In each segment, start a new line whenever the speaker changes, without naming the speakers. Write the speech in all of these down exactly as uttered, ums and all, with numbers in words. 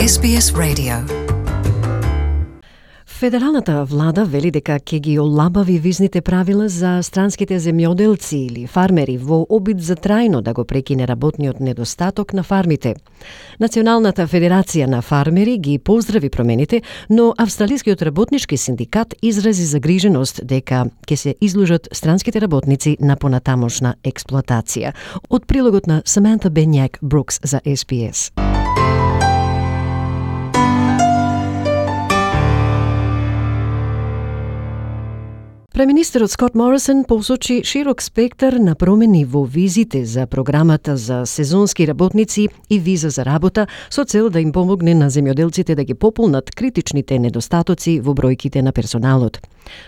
Ес Би Ес Radio. Федералната влада вели дека ќе ги олабави визните правила за странските земјоделци или фармери во обид за трајно да го прекине работниот недостаток на фармите. Националната федерација на фармери ги поздрави промените, но Австралискиот работнички синдикат изрази загриженост дека ќе се изложат странските работници на понатамошна експлоатација. Од прилогот на Саманта Бенјак Брукс за Ес Би Ес. Преминистерот Скот Морисон посочи широк спектар на промени во визите за програмата за сезонски работници и виза за работа со цел да им помогне на земјоделците да ги пополнат критичните недостатоци во бројките на персоналот.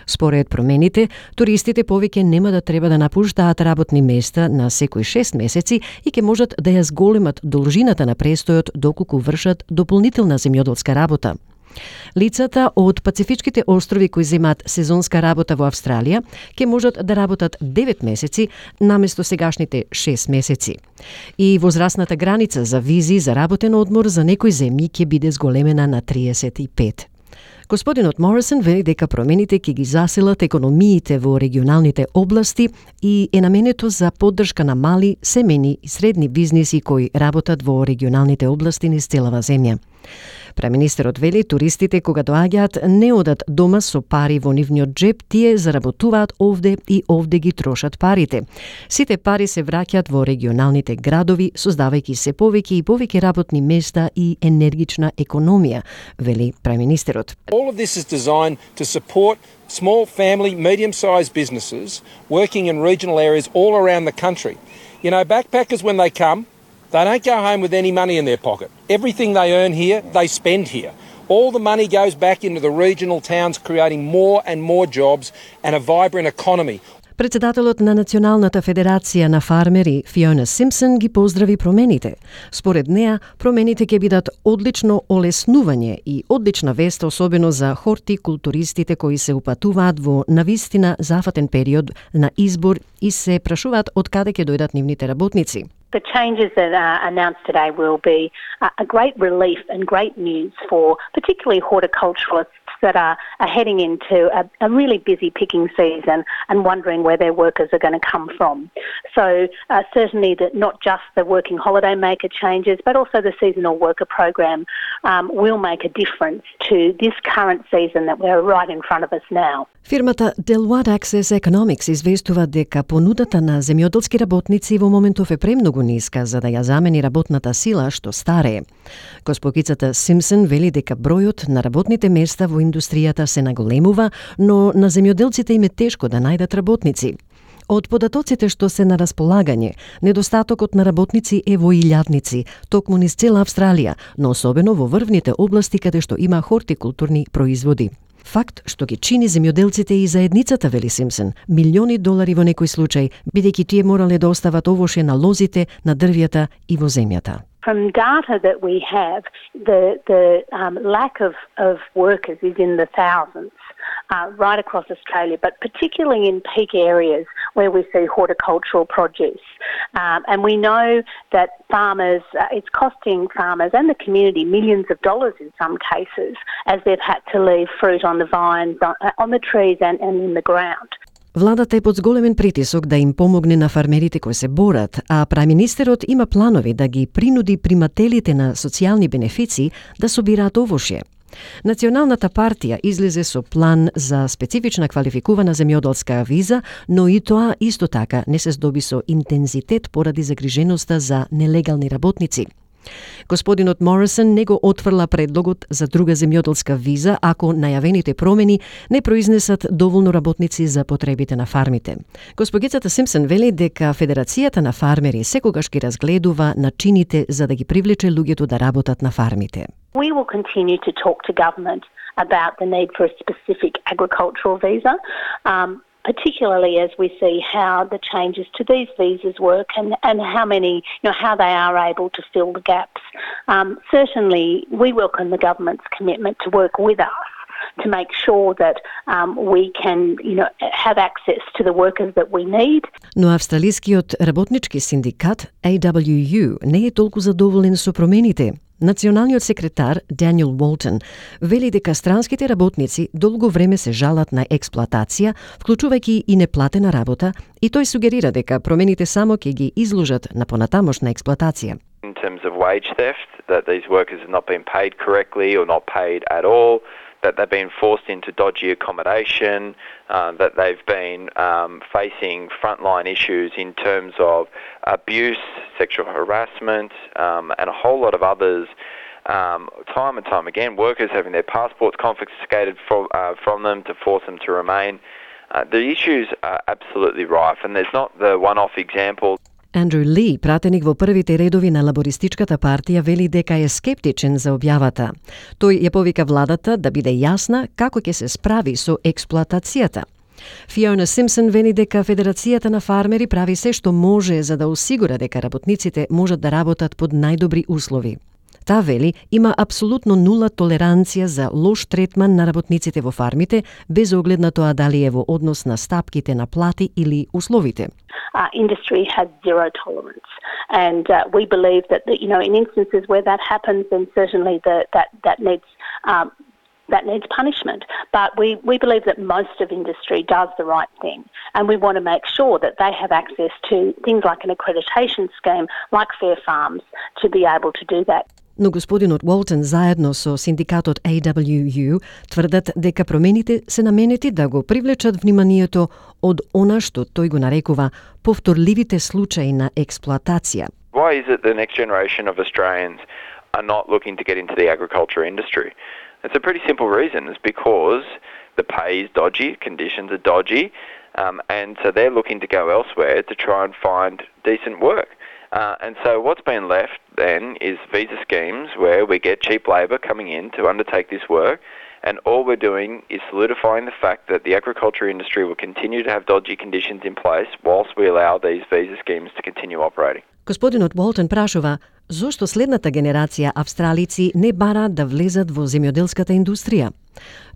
Според промените, туристите повеќе нема да треба да напуштаат работни места на секои шест месеци и ќе можат да ја зголемат должината на престојот доколку вршат дополнителна земјоделска работа. Лицата од Пацифичките острови кои земаат сезонска работа во Австралија ќе можат да работат девет месеци наместо сегашните шест месеци. И возрастната граница за визи за работен одмор за некои земји ќе биде зголемена на триесет и пет. Господинот Морисон вели дека промените ќе ги заселат економиите во регионалните области и е наменето за поддршка на мали, семејни и средни бизниси кои работат во регионалните области низ целава земја. Преминистерот вели туристите кога доаѓаат не одат дома со пари во нивниот джеб, тие заработуваат овде и овде ги трошат парите. Сите пари се враќаат во регионалните градови, создавајќи се повеќе и повеќе работни места и енергична економија, вели преминистерот.
All of this is designed to support small family, medium-sized businesses working in regional areas all around the country. You know, backpackers when they come, they don't go home with any money in their pocket. Everything they earn here, they spend here. All the money goes back into the regional towns, creating more and more jobs and a vibrant economy.
Председателот на Националната федерација на фармери Фиона Симпсон ги поздрави промените. Според неа, промените ќе бидат одлично олеснување и одлична вест особено за хортикултуристите кои се упатуваат во навистина зафатен период на избор и се прашуваат од каде ќе дојдат нивните работници.
The changes that are announced today will be a great relief and great news for particularly horticulturalists that are, are heading into a, a really busy picking season and wondering where their workers are going to come from. So uh, certainly that not just the working holiday maker changes, but also the seasonal worker program um, will make a difference to this current season that we're right in front of us now.
Фирмата Deloitte Access Economics известува дека понудата на земјоделски работници во моментов е премногу ниска за да ја замени работната сила што старее. Госпогицата Симпсон вели дека бројот на работните места во индустријата се наголемува, но на земјоделците им е тешко да најдат работници. Од податоците што се на располагање, недостатокот на работници е во илјадници, токму низ цела Австралија, но особено во врвните области каде што има хортикултурни производи. Факт што ги чини земјоделците и заедницата, вели Симпсон, милиони долари во некој случај, бидејќи тие морале да остават овоше на лозите, на дрвјата и во земјата.
From data that we have, the, the um, lack of, of workers is in the thousands uh, right across Australia, but particularly in peak areas where we see horticultural produce. Um, and we know that farmers, uh, it's costing farmers and the community millions of dollars in some cases as they've had to leave fruit on the vines, on, on the trees and, and in the ground.
Владата е под зголемен притисок да им помогне на фармерите кои се борат, а преминистерот има планови да ги принуди примателите на социјални бенефиции да собираат овошје. Националната партија излезе со план за специфична квалификувана земјоделска виза, но и тоа исто така не се здоби со интензитет поради загриженоста за нелегални работници. Господинот Морисон не го отфрла предлогот за друга земјоделска виза ако најавените промени не произнесат доволно работници за потребите на фармите. Госпогицата Симпсон вели дека Федерацијата на фармери секогаш ги разгледува начините за да ги привлече луѓето да работат на фармите.
We will continue to talk to government about the need for a specific agricultural visa. Um, particularly as we see how the changes to these visas work and, and how many, you know, how they are able to fill the gaps. Um, certainly, we welcome the government's commitment to work with us to make sure that um, we can, you know, have access to the workers that we need.
Но австралискиот работнички синдикат A W U не е толку задоволен со промените. Националниот секретар Даниел Уолтон вели дека странските работници долго време се жалат на експлоатација, вклучувајќи и неплатена работа, и тој сугерира дека промените само ќе ги изложат на понатамошна експлоатација.
In terms of wage theft, that these workers have not been paid correctly or not paid at all, that they've been forced into dodgy accommodation, uh, that they've been um, facing frontline issues in terms of abuse, sexual harassment, um, and a whole lot of others. Um, time and time again, workers having their passports confiscated from, uh, from them to force them to remain. Uh, the issues are absolutely rife, and there's not the one-off example.
Андрю Ли, пратеник во првите редови на лабористичката партија, вели дека е скептичен за објавата. Тој ја повика владата да биде јасна како ќе се справи со експлоатацијата. Фиона Симпсон вели дека Федерацијата на фармери прави се што може за да осигура дека работниците можат да работат под најдобри услови. Таа вели има апсолутно нула толеранција за лош третман на работниците во фармите, без оглед на тоа дали е во однос на стапките на плати или условите.
Uh, industry has zero tolerance, and uh, we believe that, that you know in instances where that happens, then certainly the, that that needs um, that needs punishment. But we, we believe that most of industry does the right thing, and we want to make sure that they have access to things like an accreditation scheme, like Fair Farms, to be able to do that.
Но господинот Уолтон заедно со синдикатот A W U тврдат дека промените се наменети да го привлечат вниманието од она што тој го нарекува повторливите случаи на експлоатација.
Why is it the next generation of Australians are not looking to get into the agriculture industry? It's a pretty simple reason. It's because the pay is dodgy, conditions are dodgy, um, and so they're looking to go elsewhere to try and find decent work. Uh, and so what's been left then is visa schemes where we get cheap labour coming in to undertake this work, and all we're doing is solidifying the fact that the agriculture industry will continue to have dodgy conditions in place whilst we allow these visa schemes to continue operating.
Господинот Уолтон прашува зошто следната генерација австралици не бараат да влезат во земјоделската индустрија.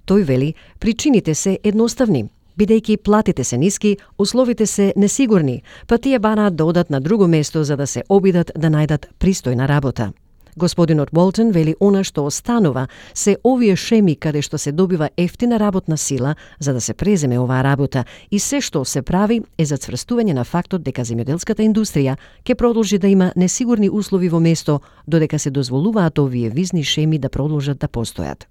Тој вели причините се едноставни. Бидејќи платите се ниски, условите се несигурни, па тие бараат да одат на друго место за да се обидат да најдат пристојна работа. Господинот Уолтон вели она што останува се овие шеми каде што се добива ефтина работна сила за да се преземе оваа работа, и се што се прави е за цврстување на фактот дека земјоделската индустрија ќе продолжи да има несигурни услови во место додека се дозволуваат овие визни шеми да продолжат да постојат.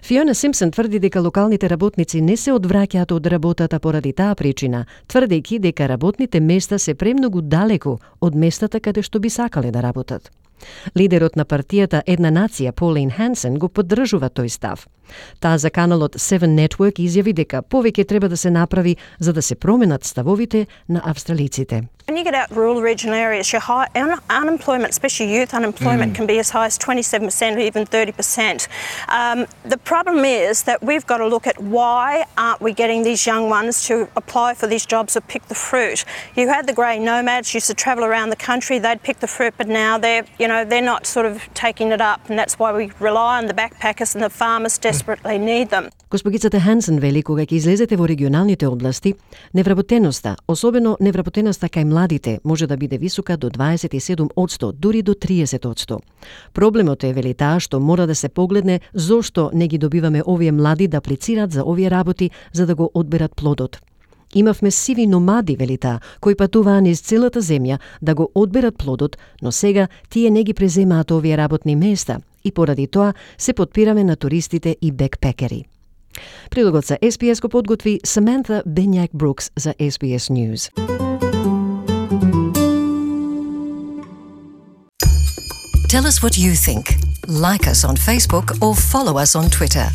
Фиона Симпсон тврди дека локалните работници не се одвраќаат од работата поради таа причина, тврдејќи дека работните места се премногу далеку од местата каде што би сакале да работат. Лидерот на партијата Една нација, Полин Хансен, го поддржува тој став. Таа за каналот Seven Network изјави дека повеќе треба да се направи за да се променат ставовите на австралиците.
When you get out rural regional areas, your high un- unemployment, especially youth unemployment, mm. can be as high as twenty-seven percent or even thirty percent. Um, the problem is that we've got to look at why aren't we getting these young ones to apply for these jobs or pick the fruit. You had the grey nomads used to travel around the country, they'd pick the fruit, but now they're, you know, they're not sort of taking it up, and that's why we rely on the backpackers, and the farmers desperately need them.
Госпогицата Хансен вели кога ќе излезете во регионалните области, невработеноста, особено невработеноста кај младите, може да биде висока до дваесет и седум одсто, дури до триесет одсто. Проблемот е, вели таа, што мора да се погледне зошто не ги добиваме овие млади да аплицираат за овие работи за да го одберат плодот. Имавме сиви номади, вели таа, кои патуваа низ целата земја да го одберат плодот, но сега тие не ги преземаат овие работни места и поради тоа се потпираме на туристите и бекпекери. Прилогот за С Б С го подготви Саманта Бенјак Брукс за С Б С News.
Tell us what you think. Like us on Facebook or follow us on Twitter.